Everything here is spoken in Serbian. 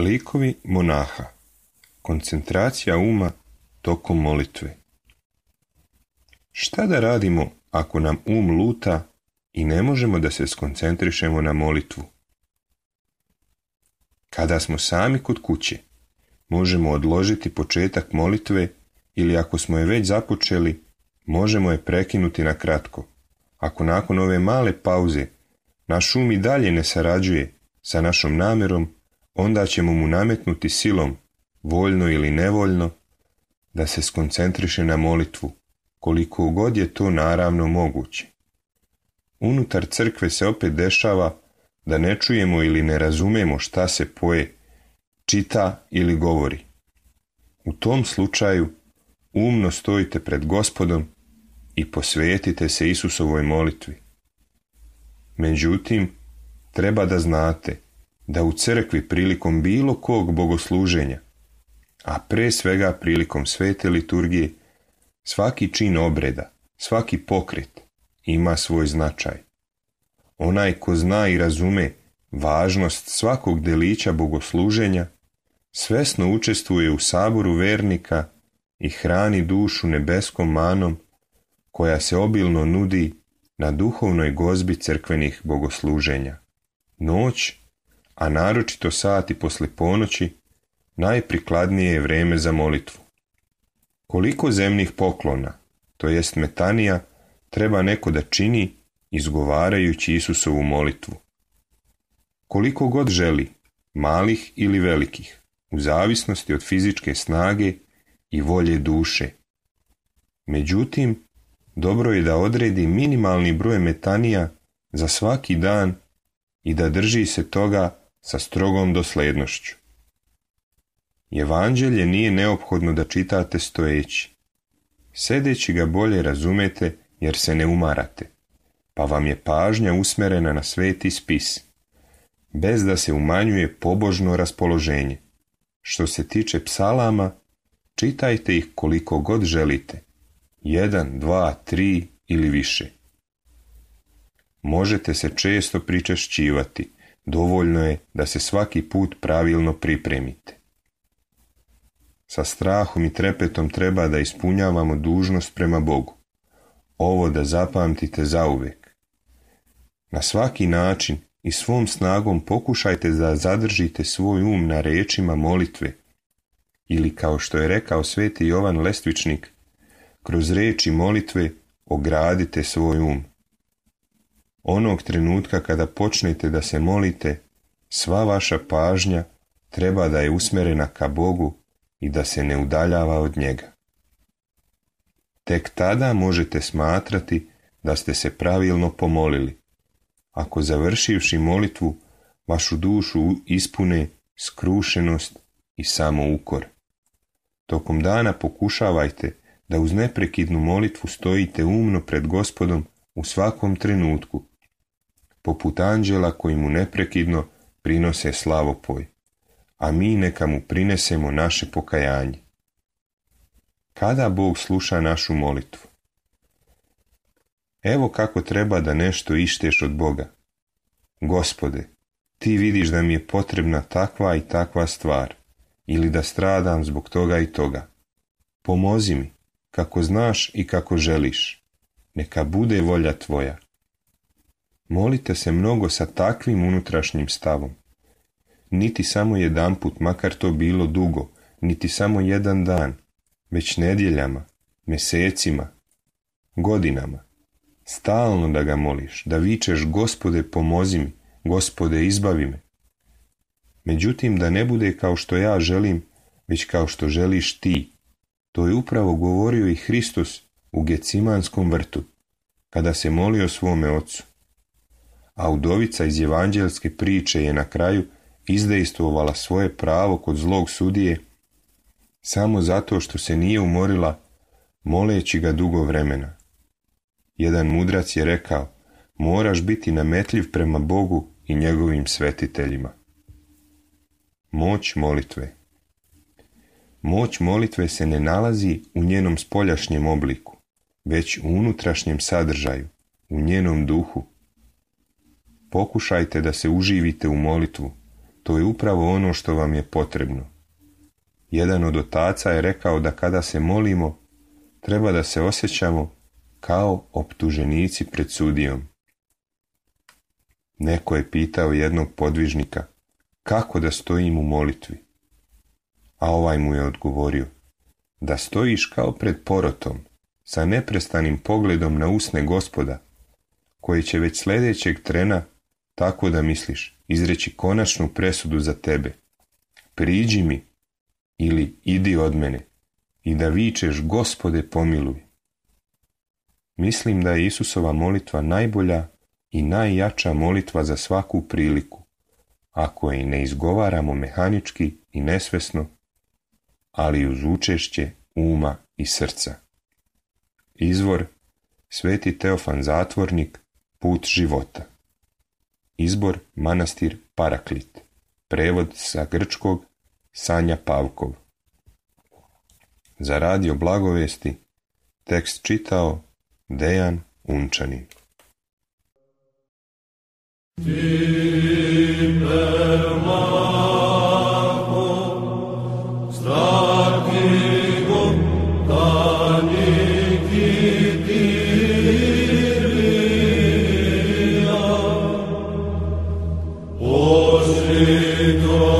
Likovi monaha. Koncentracija uma tokom molitve. Šta da radimo ako nam um luta i ne možemo da se skoncentrišemo na molitvu? Kada smo sami kod kuće, možemo odložiti početak molitve ili ako smo je već započeli, možemo je prekinuti na kratko. Ako nakon ove male pauze naš um i dalje ne sarađuje sa našom namjerom, onda ćemo mu nametnuti silom, voljno ili nevoljno, da se skoncentriše na molitvu, koliko god je to naravno moguće. Unutar crkve se opet dešava da ne čujemo ili ne razumemo šta se poje, čita ili govori. U tom slučaju umno stojite pred Gospodom i posvetite se Isusovoj molitvi. Međutim, treba da znate da u crkvi prilikom bilo kog bogosluženja, a pre svega prilikom svete liturgije, svaki čin obreda, svaki pokret ima svoj značaj. Onaj ko zna i razume važnost svakog delića bogosluženja, svesno učestvuje u saboru vernika i hrani dušu nebeskom manom koja se obilno nudi na duhovnoj gozbi crkvenih bogosluženja. Noć, a naročito sati posle ponoći, najprikladnije je vreme za molitvu. Koliko zemnih poklona, to jest metanija, treba neko da čini izgovarajući Isusovu molitvu? Koliko god želi, malih ili velikih, u zavisnosti od fizičke snage i volje duše. Međutim, dobro je da odredi minimalni broj metanija za svaki dan i da drži se toga sa strogom doslednošću. Evanđelje nije neophodno da čitate stojeći. Sedeći ga bolje razumete jer se ne umarate, pa vam je pažnja usmerena na sveti spis, bez da se umanjuje pobožno raspoloženje. Što se tiče psalama, čitajte ih koliko god želite, 1, 2, 3 ili više. Možete se često pričešćivati, dovoljno je da se svaki put pravilno pripremite. Sa strahom i trepetom treba da ispunjavamo dužnost prema Bogu. Ovo da zapamtite zauvek. Na svaki način i svom snagom pokušajte da zadržite svoj um na rečima molitve, ili kao što je rekao sveti Jovan Lestvičnik, kroz reči molitve ogradite svoj um. Onog trenutka kada počnete da se molite, sva vaša pažnja treba da je usmerena ka Bogu i da se ne udaljava od njega. Tek tada možete smatrati da ste se pravilno pomolili, ako završivši molitvu vašu dušu ispune skrušenost i samoukor. Tokom dana pokušavajte da uz neprekidnu molitvu stojite umno pred Gospodom u svakom trenutku, poput anđela koji mu neprekidno prinose slavopoj, a mi neka mu prinesemo naše pokajanje. Kada Bog sluša našu molitvu? Evo kako treba da nešto išteš od Boga. Gospode, ti vidiš da mi je potrebna takva i takva stvar, ili da stradam zbog toga i toga. Pomozi mi, kako znaš i kako želiš. Neka bude volja tvoja. Molite se mnogo sa takvim unutrašnjim stavom. Niti samo jedanput, makar to bilo dugo, niti samo jedan dan, već nedjeljama, mesecima, godinama. Stalno da ga moliš, da vičeš Gospode pomozi mi, Gospode izbavi me. Međutim, da ne bude kao što ja želim, već kao što želiš ti. To je upravo govorio i Hristos u Gecimanskom vrtu, kada se molio svome ocu. A udovica iz evanđelske priče je na kraju izdejstvovala svoje pravo kod zlog sudije samo zato što se nije umorila moleći ga dugo vremena. Jedan mudrac je rekao, moraš biti nametljiv prema Bogu i njegovim svetiteljima. Moć molitve. Moć molitve se ne nalazi u njenom spoljašnjem obliku, već u unutrašnjem sadržaju, u njenom duhu. Pokušajte da se uživite u molitvu, To je upravo ono što vam je potrebno. Jedan od otaca je rekao da kada se molimo, treba da se osjećamo kao optuženici pred sudijom. Neko je pitao jednog podvižnika kako da stojim u molitvi, a ovaj mu je odgovorio da stojiš kao pred porotom, sa neprestanim pogledom na usne Gospoda, koji će već sljedećeg trena, tako da misliš, izreći konačnu presudu za tebe. Priđi mi ili idi od mene i da vičeš Gospode pomiluj. Mislim da je Isusova molitva najbolja i najjača molitva za svaku priliku, ako je ne izgovaramo mehanički i nesvesno, ali uz učešće uma i srca. Izvor: Sveti Teofan Zatvornik, Put života. Izbor: Manastir Paraklit. Prevod sa grčkog: Sanja Pavkov. Za radio Blagovesti tekst čitao Dejan Unčanin. Osvito